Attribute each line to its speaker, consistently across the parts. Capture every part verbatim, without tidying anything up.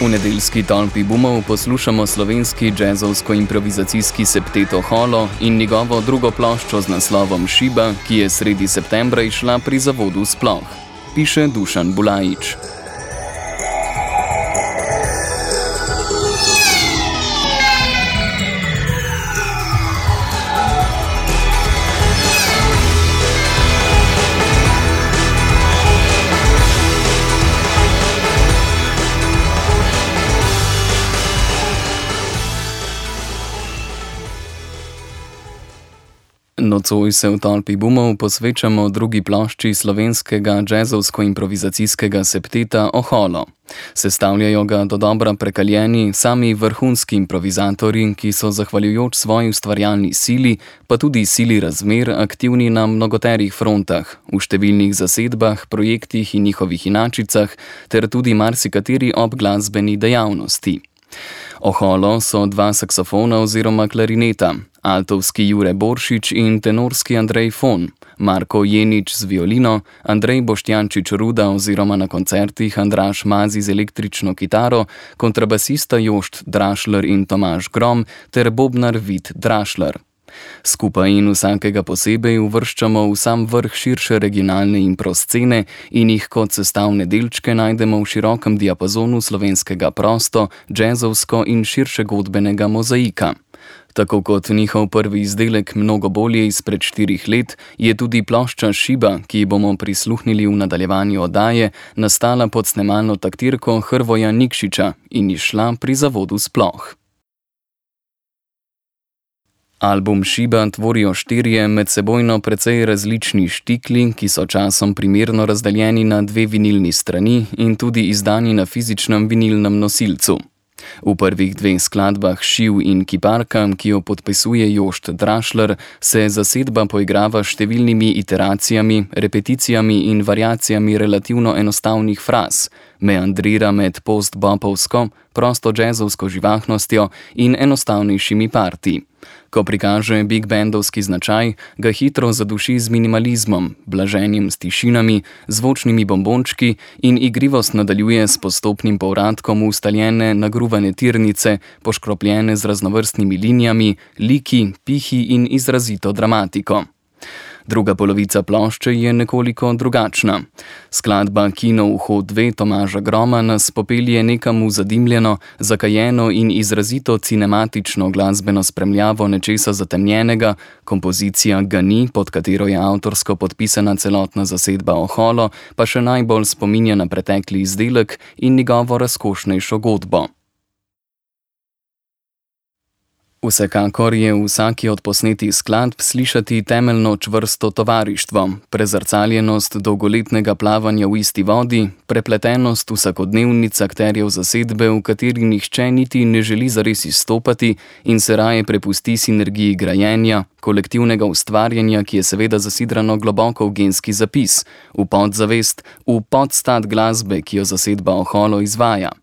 Speaker 1: V nedeljski tolpi bumov poslušamo slovenski džezovsko-improvizacijski septet Oholo in njegovo drugo ploščo z naslovom Šiba, ki je sredi septembra izšla pri zavodu Sploh. Piše Dušan Bulajič. Nocoj se v tolpi bumov posvečamo drugi plošči slovenskega džezovsko-improvizacijskega septeta Oholo. Sestavljajo ga dodobra prekaljeni sami vrhunski improvizatorji, ki so zahvaljujoč svoji ustvarjalni sili, pa tudi sili razmer, aktivni na mnogoterih frontah, v številnih zasedbah, projektih in njihovih inačicah, ter tudi marsikateri obglasbeni dejavnosti. Oholo so dva saksofona oziroma klarineta, altovski Jure Boršič in tenorski Andrej Fon, Marko Jenič z violino, Andrej Boštjančič Ruda oziroma na koncertih Andraž Mazi z električno kitaro, kontrabasista Jošt Drašler in Tomaž Grom ter bobnar Vid Drašler. Skupaj in vsakega posebej uvrščamo v sam vrh širše regionalne improscene in jih kot sestavne delčke najdemo v širokem diapazonu slovenskega prosto, džezovsko in širše godbenega mozaika. Tako kot njihov prvi izdelek mnogo bolje izpred štirih let, je tudi plošča Šiba, ki bomo prisluhnili v nadaljevanju oddaje, nastala pod snemalno taktirko Hrvoja Nikšiča in izšla pri zavodu Sploh. Album Šiba tvorijo štirje medsebojno precej različni štikli, ki so časom primerno razdeljeni na dve vinilni strani in tudi izdani na fizičnem vinilnem nosilcu. V prvih dveh skladbah Šiv in Kiparka, ki jo podpisuje Jošt Drašler, se zasedba poigrava s številnimi iteracijami, repeticijami in variacijami relativno enostavnih fraz, meandrira med post-bopovsko, prosto džezovsko živahnostjo in enostavnejšimi partiji. Ko prikaže big bandovski značaj, ga hitro zaduši z minimalizmom, blaženjem s tišinami, zvočnimi bombončki in igrivost nadaljuje s postopnim povratkom v ustaljene nagruvane tirnice, poškropljene z raznovrstnimi linijami, liki, pihi in izrazito dramatiko. Druga polovica plošče je nekoliko drugačna. Skladba Kino Uho dve Tomaža Groma nas popelje nekam v zadimljeno, zakajeno in izrazito cinematično glasbeno spremljavo nečesa zatemnjenega, kompozicija Gani, pod katero je avtorsko podpisana celotna zasedba Oholo, pa še najbolj spominja na pretekli izdelek in njegovo razkošnejšo godbo. Vsekakor je v vsaki od posnetih skladb slišati temeljno čvrsto tovarištvo, prezrcaljenost dolgoletnega plavanja v isti vodi, prepletenost vsakodnevnic akterjev zasedbe, v kateri nihče niti ne želi zares izstopati in se raje prepusti sinergiji grajenja, kolektivnega ustvarjanja, ki je seveda zasidrano globoko v genski zapis, v podzavest, v podstat glasbe, ki jo zasedba Oholo izvaja.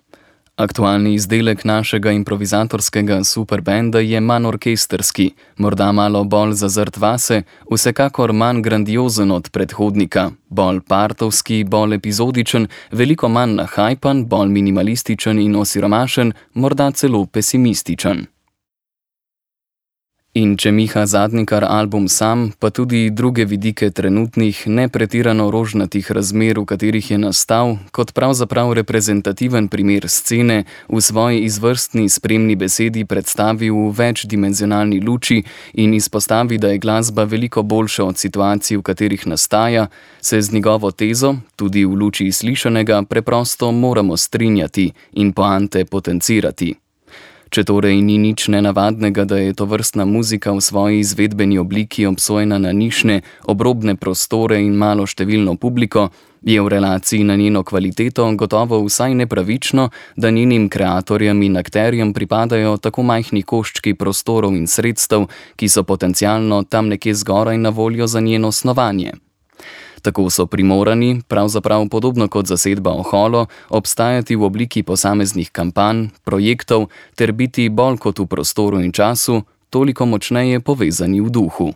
Speaker 1: Aktualni izdelek našega improvizatorskega superbenda je manj orkesterski, morda malo bolj zazrt vase, vsekakor manj grandiozen od predhodnika, bolj partovski, bolj epizodičen, veliko manj nahajpan, bolj minimalističen in osiromašen, morda celo pesimističen. In če Miha Zadnikar album sam, pa tudi druge vidike trenutnih, nepretirano rožnatih razmer, v katerih je nastal, kot pravzaprav reprezentativen primer scene, v svoji izvrstni spremni besedi predstavi v večdimenzionalni luči in izpostavi, da je glasba veliko boljša od situacij, v katerih nastaja, se z njegovo tezo, tudi v luči slišanega, preprosto moramo strinjati in poante potencirati. Če torej ni nič nenavadnega, da je tovrstna muzika v svoji izvedbeni obliki obsojena na nišne, obrobne prostore in malo številno publiko, je v relaciji na njeno kvaliteto gotovo vsaj nepravično, da njenim kreatorjem in akterjem pripadajo tako majhni koščki prostorov in sredstev, ki so potencialno tam nekje zgoraj na voljo za njeno snovanje. Tako so primorani, pravzaprav podobno kot zasedba Oholo, obstajati v obliki posameznih kampanj, projektov ter biti bolj kot v prostoru in času, toliko močneje povezani v duhu.